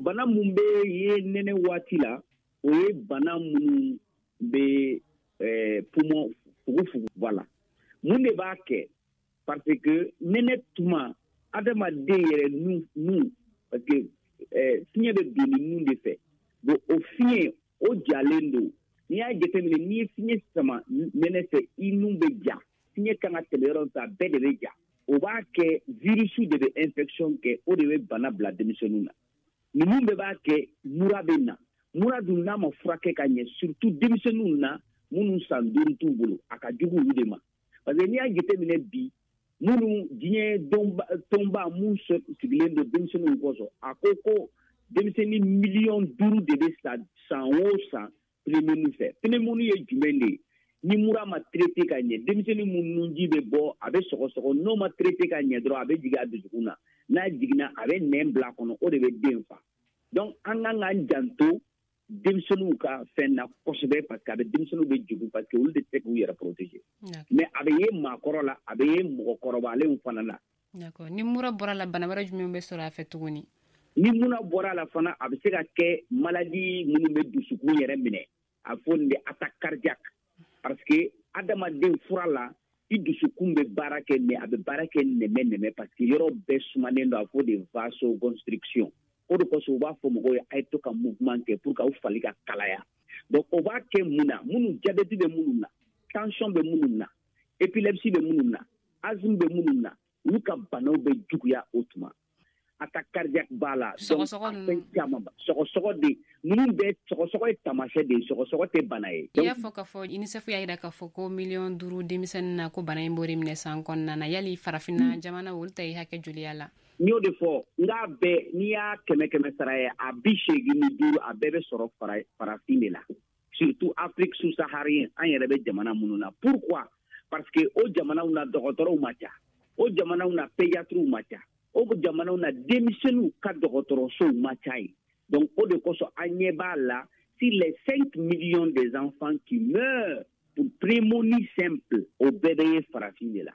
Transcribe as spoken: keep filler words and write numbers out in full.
bana mun bɛ ye nɛnɛ waati la, o ye bana minnu bɛ eh, poumon, fugufugu. Voilà, mun de b'a kɛ? Parce que nɛnɛ tuma, adamaden yɛrɛ nun nun parce que eh, fiɲɛ bɛ don ni nun de fɛ. Bon, o fiɲɛ o jalen don. N'i y'a jateminɛ, n'i ye fiɲɛ sama nɛnɛ fɛ, i nun bɛ ja. Fiɲɛ kan ka tɛmɛ yɔrɔ min fɛ, a bɛɛ de bɛ ja. O b'a kɛ virus de bɛ infection kɛ, o de bɛ bana bila denmisɛnninw na. Ninnu bɛɛ b'a kɛ mura bɛ na. Mura dun, n'a ma furakɛ ka ɲɛ, surtout denmisɛnninw na minnu san duuru t'u bolo, a ka jugu olu de ma. Parce que n'i y'a jateminɛ bi, minnu diɲɛ tɔnba mun sigilen don denmisɛnninw kɔsɔn, a ko ko denmisɛnnin miliyɔn duuru de bɛ sa san o san pneumonie fɛ. Pneumonie ye jumɛn de ye? Ni mura ma traité ka ɲɛ, denmisɛnnin mun nunji bɛ bɔ, a bɛ sɔgɔsɔgɔ, n'o ma traité ka ɲɛ dɔrɔn, a bɛ jigin a dusukun na. N'a jiginna, a bɛ nɛn bila a kɔnɔ, o de bɛ den fa. Donc an kan k'an janto denmisɛnninw ka fɛn na kosɛbɛ, parce que a bɛ denmisɛnninw bɛ jigin, parce que olu de tɛ se k'u yɛrɛ protéger. Mais a bɛ ye maakɔrɔ la, a bɛ ye mɔgɔkɔrɔbalenw fana la. D'accord. Ni mura bɔra la, bana wɛrɛ jumɛn bɛ sɔrɔ a fɛ tuguni? Ni mura bɔra la fana, a bɛ se ka kɛ maladie minnu bɛ dusukun yɛrɛ minɛ, a fɔ nin de attaque cardiaque. Parce que adamaden fura la, i dusukun bɛ baara kɛ, mais a bɛ baara kɛ nɛmɛ nɛmɛ, parce que yɔrɔ bɛɛ sumanen don, a fɔ de vasoconstriction. O de kosɔn u b'a fɔ mɔgɔw ye a ye to ka mouvement kɛ pour que aw fali ka kalaya. Donc o b'a kɛ mun na? Minnu diabète bɛ minnu na, tension bɛ minnu na, épilepsie bɛ minnu na, asthme bɛ minnu na, olu ka banaw bɛ juguya o tuma. Attaque cardiaque b'a la. Sɔgɔsɔgɔ ninnu. Fɛn caman ba sɔgɔsɔgɔ de ninnu bɛɛ, sɔgɔsɔgɔ ye taamasiyɛn de ye, sɔgɔsɔgɔ tɛ bana ye. I y'a fɔ k'a fɔ UNICEF y'a jira k'a fɔ ko miliyɔn duuru denmisɛnnin na ko bana in b'o de minɛ san kɔnɔna na. Yali farafinna jamana, olu ta ye hakɛ joli y'a la? N y'o de fɔ n k'a bɛɛ, n'i y'a kɛmɛ kɛmɛ sara ye, a bi seegin ni duuru, a bɛɛ bɛ sɔrɔ farafin de la, surtout Afrique sous-saharienne, an yɛrɛ bɛ jamana minnu na. Pourquoi? Parce que o jamanaw na, dɔgɔtɔrɔw ma ca, o jamanaw na, pédiatrew ma ca, o jamanaw na, denmisɛnninw ka dɔgɔtɔrɔsow ma ca yen. Donc o de kosɔn an ɲɛ b'a la, sur les cinq millions des enfants qui meurent pour pneumonie simple, o bɛɛ bɛ ye farafin de la.